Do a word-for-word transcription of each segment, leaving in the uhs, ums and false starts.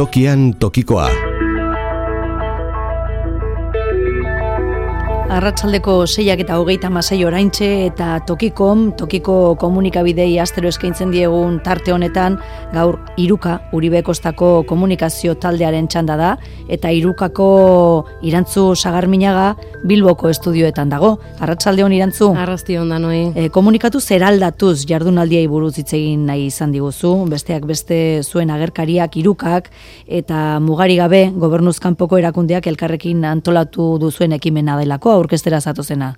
Tokian tokikoa. Arratsaldeko seiak eta hogeita hamasei oraintxe eta tokikom, tokiko komunikabidei astero eskaintzen diegun tarte honetan, gaur Iruka, Uribe Kostako komunikazio taldearen txanda da, eta Irukako Irantzu Sagarminaga Bilboko estudioetan dago. Arratsalde on Irantzu. Arrasti on danoi. E, komunikatu zeraldatuz jardunaldiei buruz hitz egin nahi izan diguzu, besteak beste zuen agerkariak Irukak eta mugari gabe gobernuz kanpoko erakundeak elkarrekin antolatu duzuen ekimena delako aurkeztera zatozena.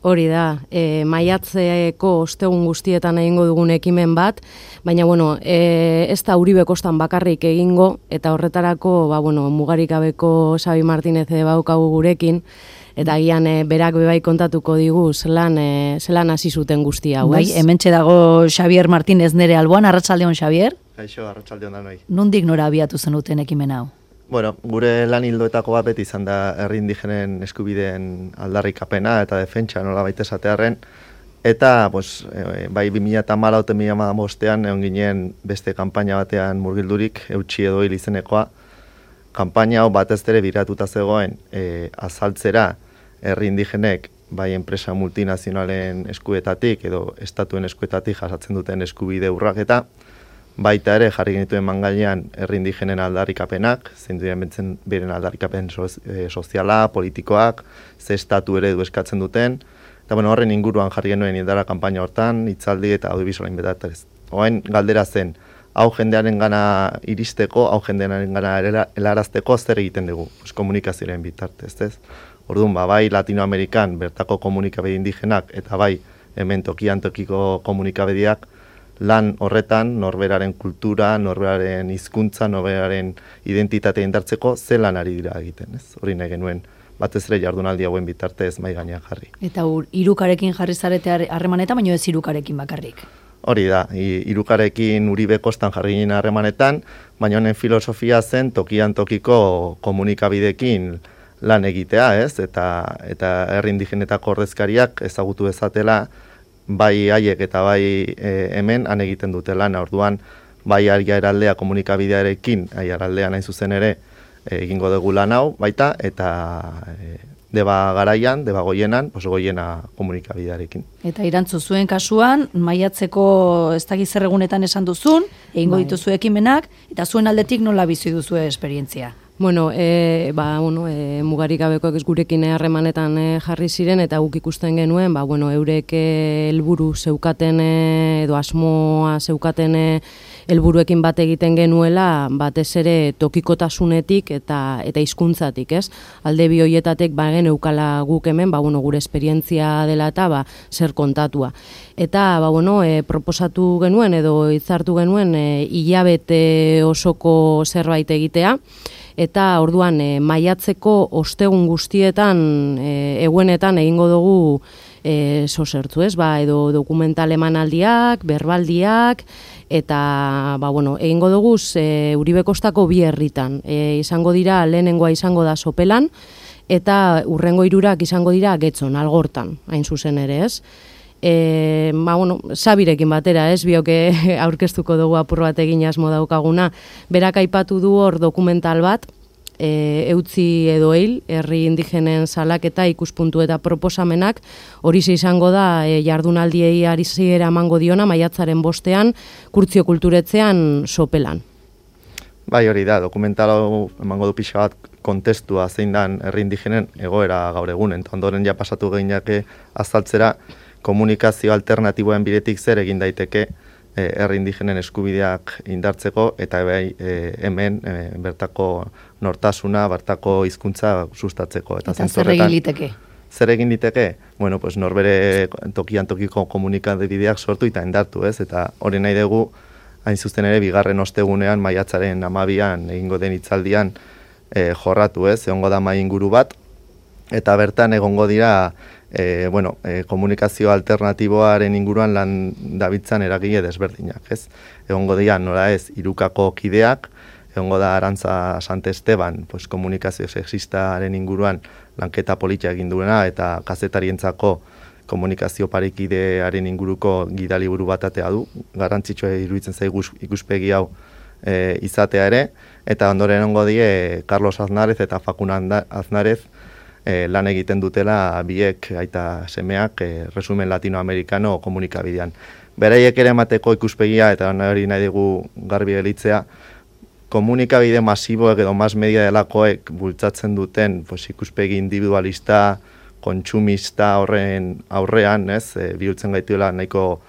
Hori da, e, maiatzeko ostegun guztietan egingo dugun ekimen bat, baina bueno, e, ez da Uribe Kostan bakarrik egingo, eta horretarako ba, bueno, mugarik gabeko Xabi Martinez baukagu gurekin, eta agian e, berak bebai kontatuko digu zelan, e, zelan hasi zuten guztia hau, bai, ez? Hementxe dago Xabier Martinez nere alboan, arratsaldeon Xabier? Kaixo, arratsaldeon danoi. Nondik nora abiatu zenuten ekimen hau? Bueno, gure lan ildoetako bat beti izan da herri indigenen eskubideen aldarrikapena eta defentsa nola baita esatearren. Eta, pues, e, bai bi mila hamalau eta bi mila hamabostean egon ginen beste kanpaina batean murgildurik, eutsi edo hil izenekoa. Kanpaina hau batez ere biratuta zegoen e, azaltzera herri indigenek bai enpresa multinazionalen eskuetatik edo estatuen eskuetatik jasatzen duten eskubide urraketa, baita ere jarri genituen mangailean herri indigenen aldarrikapenak, zein duen bentzen beren aldarrikapen soz, e, soziala, politikoak, ze estatu eredu eskatzen duten, eta bueno, horren inguruan jarri genuen indara kanpaina hortan, hitzaldi eta audiovisualen betatez. Oain galdera zen, hau jendearen gana iristeko, hau jendearen gana helarazteko zer egiten dugu, pues, komunikazioaren bitartez, ez? Orduan, ba, bai Latinoamerikan bertako komunikabide indigenak eta bai hemen tokian tokiko komunikabediak lan horretan norberaren kultura, norberaren hizkuntza, norberaren identitatea indartzeko ze lan ari dira egiten, ez? Hori nahi genuen batez ere jardunaldi hauen bitartez mai gainean jarri. Eta ur, Irukarekin jarri zarete harremanetan, baina ez Irukarekin bakarrik. Hori da, Irukarekin Uribe Kostan jarri ginen harremanetan, baina honen filosofia zen tokian tokiko komunikabidekin lan egitea, ez? Eta eta herri indigenetako ordezkariak ezagutu dezatela bai haiek eta bai e, hemen han egiten dute lan, orduan bai aiaraldea komunikabidearekin, aiaraldea nahi zuzen ere e, egingo dugu lan hau baita, eta e, deba garaian, deba goienan, oso goiena komunikabidearekin. Eta Irantzu zuen kasuan, maiatzeko ez dakiz zer egunetan esan duzun, egingo bai. dituzu ekimenak, eta zuen aldetik nola bizi duzue esperientzia? Bueno, e, ba, bueno, e, mugarik gabekoak ez gurekin harremanetan e, jarri ziren, eta guk ikusten genuen, ba, bueno, eurek helburu zeukaten e, edo asmoa zeukaten e, helburuekin bat egiten genuela, batez ere tokikotasunetik eta eta hizkuntzatik, ez? Alde bi hoietatek ba geneukala guk hemen, ba, bueno, gure esperientzia dela eta ba, zer kontatua. Eta ba, bueno, e, proposatu genuen edo hitzartu genuen e, hilabete osoko zerbait egitea, eta orduan e, maiatzeko ostegun guztietan e, egunetan egingo dugu e, sosertzu, ez? Ba, edo dokumental emanaldiak, berbaldiak, eta ba, bueno, egingo dugu e, Uribe Kostako bi herritan. E, izango dira, lehenengoa izango da Sopelan, eta urrengo hirurak izango dira Getxon, Algortan, hain zuzen ere, ez? E, ba, bueno, Xabirekin batera, ez, bioke aurkeztuko dugu apur bat egin asmo daukaguna. Berak aipatu du hor dokumental bat, e, eutzi edo hil, herri indigenen salaketa, ikuspuntu eta proposamenak, hori izango da e, jardunaldiei ariziera emango diona, maiatzaren bostean, Kurtzio Kulturetzean Sopelan. Bai, hori da, dokumental hau emango du pixka bat kontestua zein dan herri indigenen egoera gaur egunen, eta ondoren ja pasatu gehinak azaltzera, komunikazio alternatiboen bidetik zer egin daiteke e, herri indigenen eskubideak indartzeko eta bai e, hemen e, bertako nortasuna, bertako hizkuntza sustatzeko. Eta, eta zer egin liteke? Zer egin liteke? Bueno, pues norbere tokian tokiko komunikabideak sortu eta indartu, ez? Eta hori nahi dugu, hain zuzen ere, bigarren ostegunean, maiatzaren hamabian, egingo den hitzaldian e, jorratu, ez? Egongo da mai inguru bat, eta bertan egongo dira E, bueno, e, komunikazio alternatiboaren inguruan lan dabitzan eragile desberdinak, ez? Egongo dira, nola ez, Irukako kideak, egongo da Arantza Sante Esteban, pues, komunikazio sexistaren inguruan lanketa politia egin duena, eta kazetarientzako komunikazio parekidearen inguruko gidaliburu bat atea du. Garrantzitsua iruditzen zaigu ikuspegi hau e, izatea ere, eta ondoren ongo die Carlos Aznarez eta Fakuna Aznarez e, lan egiten dutela biek aita semeak e, resumen latinoamerikano komunikabidean. Beraiek ere emateko ikuspegia, eta hori nahi dugu garbi gelitzea, komunikabide masiboek edo mas media delakoek bultzatzen duten pues, ikuspegi individualista, kontsumista horren aurrean, ez, e, bihurtzen gaituela nahiko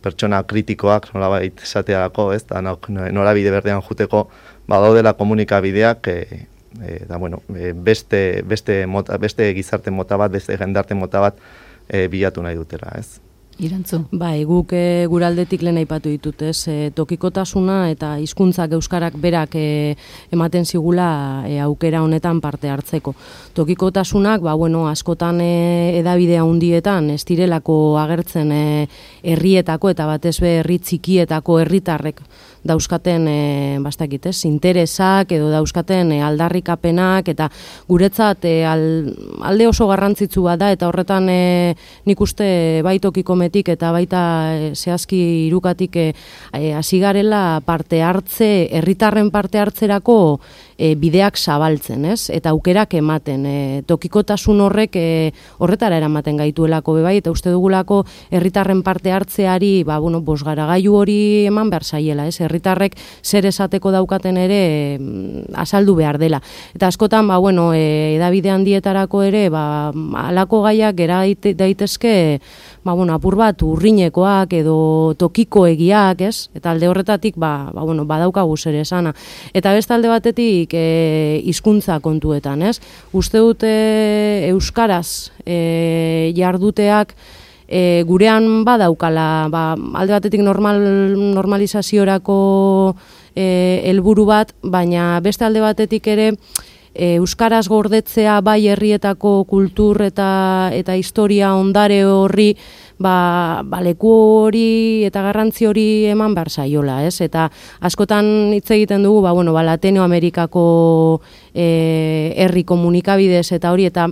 pertsona kritikoak, nolabait esatearako, ez, da norabide berdean juteko, badaudela komunikabideak, e, e, da, bueno, e, beste, beste, mota, beste gizarte mota bat, beste jendarte mota bat e, bilatu nahi dutela, ez. Irantzu. Bai, guk e, guraldetik lehen aipatu ditut, ez, e, tokikotasuna eta hizkuntzak euskarak berak e, ematen zigula e, aukera honetan parte hartzeko. Tokikotasunak, ba, bueno, askotan e, edabide handietan ez direlako agertzen e, herrietako eta batez be herri txikietako herritarrek dauzkaten e, bastakit, ez, interesak edo dauzkaten e, aldarrikapenak eta guretzat e, al, alde oso garrantzitsu bat da eta horretan e, nik uste bai tokikometik eta baita e, zehazki hirukatik hasi e, garela parte hartze, herritarren parte hartzerako e, bideak zabaltzen, ez? Eta aukerak ematen. E, tokikotasun horrek e, horretara eramaten gaituelako bebai eta uste dugulako herritarren parte hartzeari, ba bueno, bosgaragailu hori eman behar zaiela, ez? Herritarrek zer esateko daukaten ere e, azaldu behar dela. Eta askotan, ba bueno, e, edabide handietarako ere, ba halako gaiak gera daitezke, ba bueno, apur bat urrinekoak edo tokikoegiak, ez? Eta alde horretatik, ba, ba bueno, badaukagu zer esana. Eta beste alde batetik e, hizkuntza kontuetan, ez? Uste dute euskaraz e, jarduteak e, gurean badaukala, ba, alde batetik normal, normalizaziorako e, helburu bat, baina beste alde batetik ere e, euskaraz gordetzea bai herrietako kultur eta eta historia ondare horri ba, ba leku hori eta garrantzi hori eman behar zaiola, ez? Eta askotan hitz egiten dugu, ba bueno, ba Latinoamerikako e, herri komunikabidez eta hori eta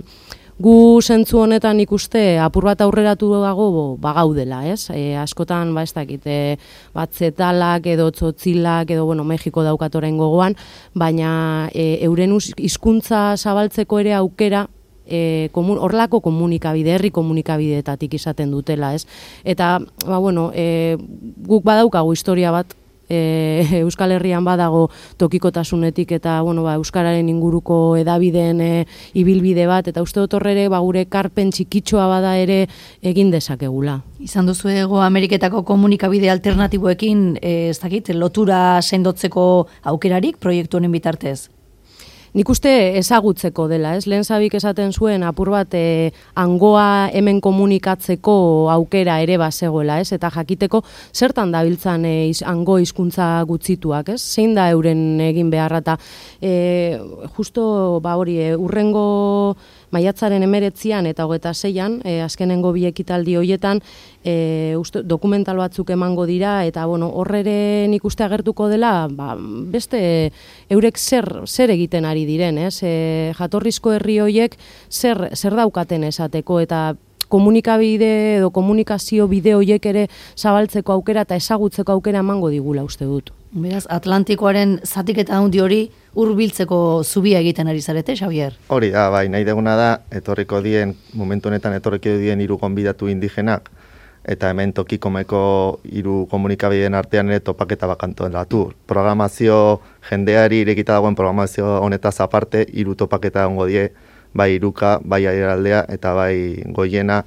gu zentzu honetan ikuste apur bat aurreratu dago bagaudela, ez? E, askotan, ba ez dakit, e, batzetalak edo tzotzilak edo, bueno, Mexiko daukatoren gogoan, baina e, euren hizkuntza zabaltzeko ere aukera E, komun, orlako komunikabide, herri komunikabideetatik izaten dutela, ez? Eta, ba, bueno, e, guk badaukagu historia bat, e, Euskal Herrian badago tokikotasunetik eta, bueno, ba, euskararen inguruko edabideen e, ibilbide bat, eta uste dut horre ba, gure karpen txikitxoa bada ere egin dezakegula. Izan duzu ego Ameriketako komunikabide alternatiboekin, e, ez dakit, lotura sendotzeko aukerarik proiektu honen bitartez? Nik uste ezagutzeko dela, ez? Lehen zabik esaten zuen apur bat e, hangoa hemen komunikatzeko aukera ere bazegoela, ez? Eta jakiteko zertan dabiltzan e, iz, hango hizkuntza gutzituak, ez? Zein da euren egin beharra eta e, justo ba hori e, urrengo maiatzaren emeretzian eta hogeta zeian, e, azkenengo bi ekitaldi hoietan, e, uste, dokumental batzuk emango dira, eta bueno, horrere nik uste agertuko dela, ba, beste eurek zer, zer egiten ari diren, ez? E, jatorrizko herri hoiek zer, zer daukaten esateko, eta komunikabide edo komunikazio bide hoiek ere zabaltzeko aukera eta ezagutzeko aukera emango digula uste dut. Beraz, Atlantikoaren zatiketa handi hori hurbiltzeko zubia egiten ari zarete, Xavier? Hori da, bai, nahi deguna da, etorriko dien, momentu honetan etorriko dien hiru gonbidatu indigenak, eta hemen tokikomeko hiru komunikabideen artean ere topaketa bakantoelatu. Programazio jendeari irekita dagoen programazio honetaz aparte, hiru topaketa ongo die, bai iruka, bai airaldea eta bai goiena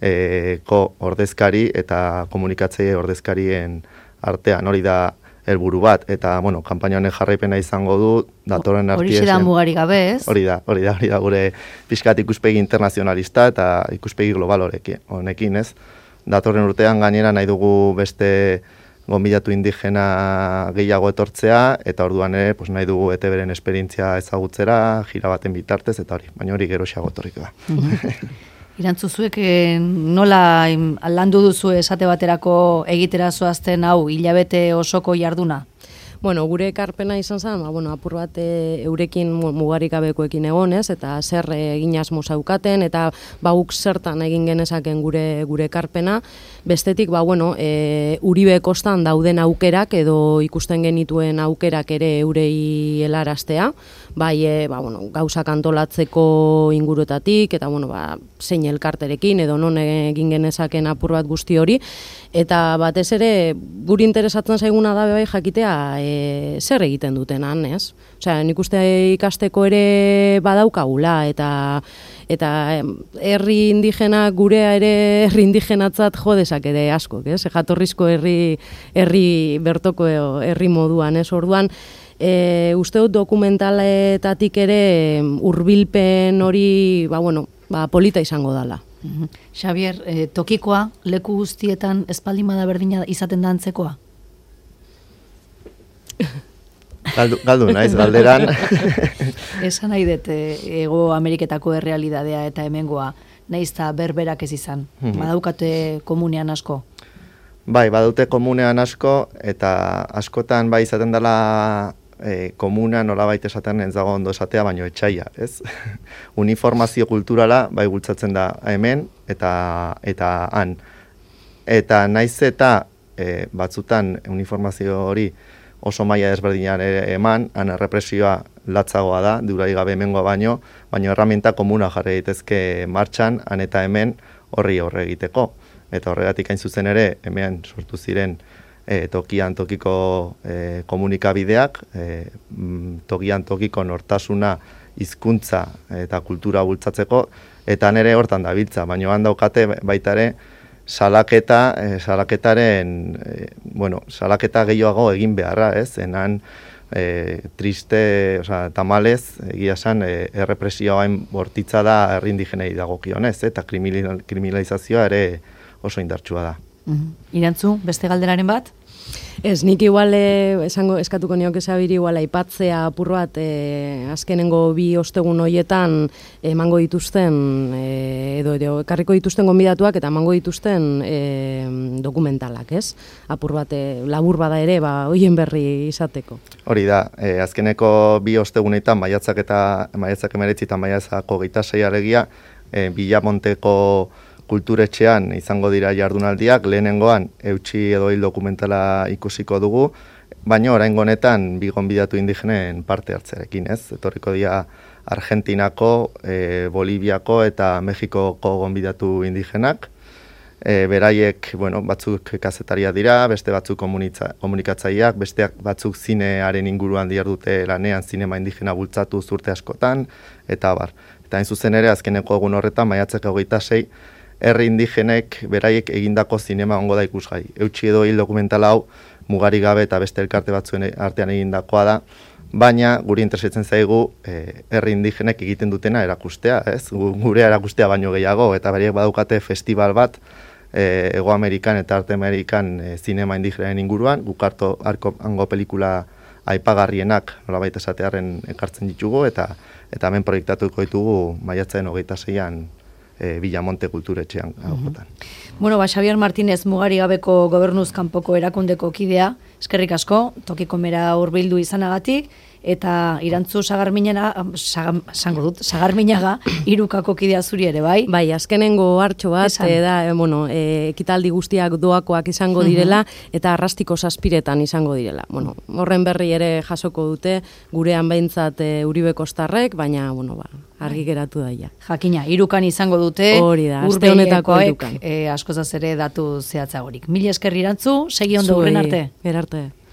e, ko ordezkari eta komunikatzaile ordezkarien artean, hori da helburu bat, eta, bueno, kanpaina honen jarraipena izango du, datorren artiezen. Hori da mugari gabe, ez? Hori da, hori da, hori da, gure pixkat ikuspegi internazionalista eta ikuspegi global horekin, honekin, ez? Datorren urtean gainera nahi dugu beste gonbidatu indigena gehiago etortzea, eta orduan ere, pues, nahi dugu E T Bren esperientzia ezagutzera, jira baten bitartez, eta hori, baina hori geroxeago etorriko da. Irantzuzuek nola landu duzu esate baterako egitera zoazten hau hilabete osoko jarduna? Bueno, gure ekarpena izan zen, ba, bueno, apur bat e, eurekin mugarik gabekoekin egonez, eta zer egin asmo zaukaten, eta ba, guk zertan egin genezaken gure gure ekarpena. Bestetik, ba, bueno, e, Uribe kostan dauden aukerak, edo ikusten genituen aukerak ere eurei helaraztea, bai, e, ba, bueno, gauzak antolatzeko inguruetatik, eta, bueno, ba, zein elkarterekin, edo non egin genezaken apur bat guzti hori, eta batez ere, guri interesatzen zaiguna da bai jakitea e, zer egiten dutenan, ez? Osea, nik uste ikasteko ere badaukagula, eta eta herri indigena gurea ere herri indigenatzat jo dezakete askok, ez? Jatorrizko herri herri bertoko herri moduan, ez? Orduan, e, uste dut dokumentaletatik ere hurbilpen hori, ba bueno, ba polita izango dala. Xabier, eh, tokikoa leku guztietan espaldimada berdina izaten da antzekoa? Galdu, galdu naiz, galderan. Esan nahi dut, Ego Ameriketako errealidadea eta hemengoa, nahiz eta berberak ez izan. Mm-hmm. Badaukate komunean asko? Bai, badute komunean asko, eta askotan bai izaten dela e, komuna nolabait esaten ez dago ondo esatea, baino etxaia, ez? Uniformazio kulturala bai bultzatzen da hemen eta eta han. Eta naiz eta e, batzutan uniformazio hori oso maila desberdinan eman, han errepresioa latzagoa da, durai gabe hemengoa baino, baino erraminta komuna jarri daitezke martxan, han eta hemen horri aurre egiteko. Eta horregatik hain zuzen ere, hemen sortu ziren e, tokian tokiko e, komunikabideak, e, tokian tokiko nortasuna, hizkuntza eta kultura bultzatzeko, eta nere hortan dabiltza, baina han daukate baita ere, salaketa, e, salaketaren, e, bueno, salaketa gehiago egin beharra, ez? Enan e, triste, oza, tamalez, egia esan, e, errepresioain bortitza da herri indigenei dagokionez, eta kriminalizazioa ere oso indartsua da. Mm-hmm. Irantzu, beste galderaren bat? Ez, nik igual esango eskatuko nioke Xabiri igual aipatzea apur bat e, azkenengo bi ostegun hoietan emango dituzten e, edo, edo ekarriko dituzten gonbidatuak eta emango dituzten e, dokumentalak, ez? Apur bat e, labur bada ere, ba hoien berri izateko. Hori da, e, azkeneko bi ostegunetan maiatzak eta maiatzak emeretzi eta maiatzako geita sei alegia e, Bilamonteko kulturetxean izango dira jardunaldiak, lehenengoan eutsi edo hil dokumentala ikusiko dugu, baina oraingo honetan bi gonbidatu indigenen parte hartzearekin, ez? Etorriko dira Argentinako, e, Boliviako eta Mexikoko gonbidatu indigenak. E, beraiek, bueno, batzuk kazetaria dira, beste batzuk komunikatzaileak, beste batzuk zinearen inguruan dihardute lanean zinema indigena bultzatu urte askotan, eta bar. Eta hain zuzen ere, azkeneko egun horretan, maiatzak hogeita sei, herri indigenek beraiek egindako zinema ongo da ikusgai. Eutsi edo hil dokumentala hau mugarik gabe eta beste elkarte batzuen artean egindakoa da, baina guri interesatzen zaigu e, herri indigenek egiten dutena erakustea, ez? Gure erakustea baino gehiago, eta beraiek badaukate festival bat e, Ego Amerikan eta Arte Amerikan e, zinema indigenen inguruan, guk harto arko hango pelikula aipagarrienak nolabait esatearren ekartzen ditugu, eta eta hemen proiektatuko ditugu maiatzaren hogeita seian E, Bilamonte kulturetxean. Mm-hmm. Bueno, ba, Xabier Martínez Mugari Gabeko Gobernuz kanpoko erakundeko kidea, eskerrik asko, tokiko mera hurbildu izanagatik, eta Irantzu Sagarminaga, sango dut, Sagarminaga, Irukako kidea zuri ere, bai? Bai, azkenengo hartxo bat, e, da, e, bueno, e, ekitaldi guztiak doakoak izango direla, mm-hmm. eta arrastiko zazpiretan izango direla. Bueno, horren berri ere jasoko dute, gurean behintzat e, Uribe Kostarrek, baina, bueno, ba, argi geratu daia. Jakina, Irukan izango dute, hori da, aste honetako Irukan. E, askozaz ere datu zehatzagorik. Mila esker Irantzu, segi ondo urren arte. Gerarte.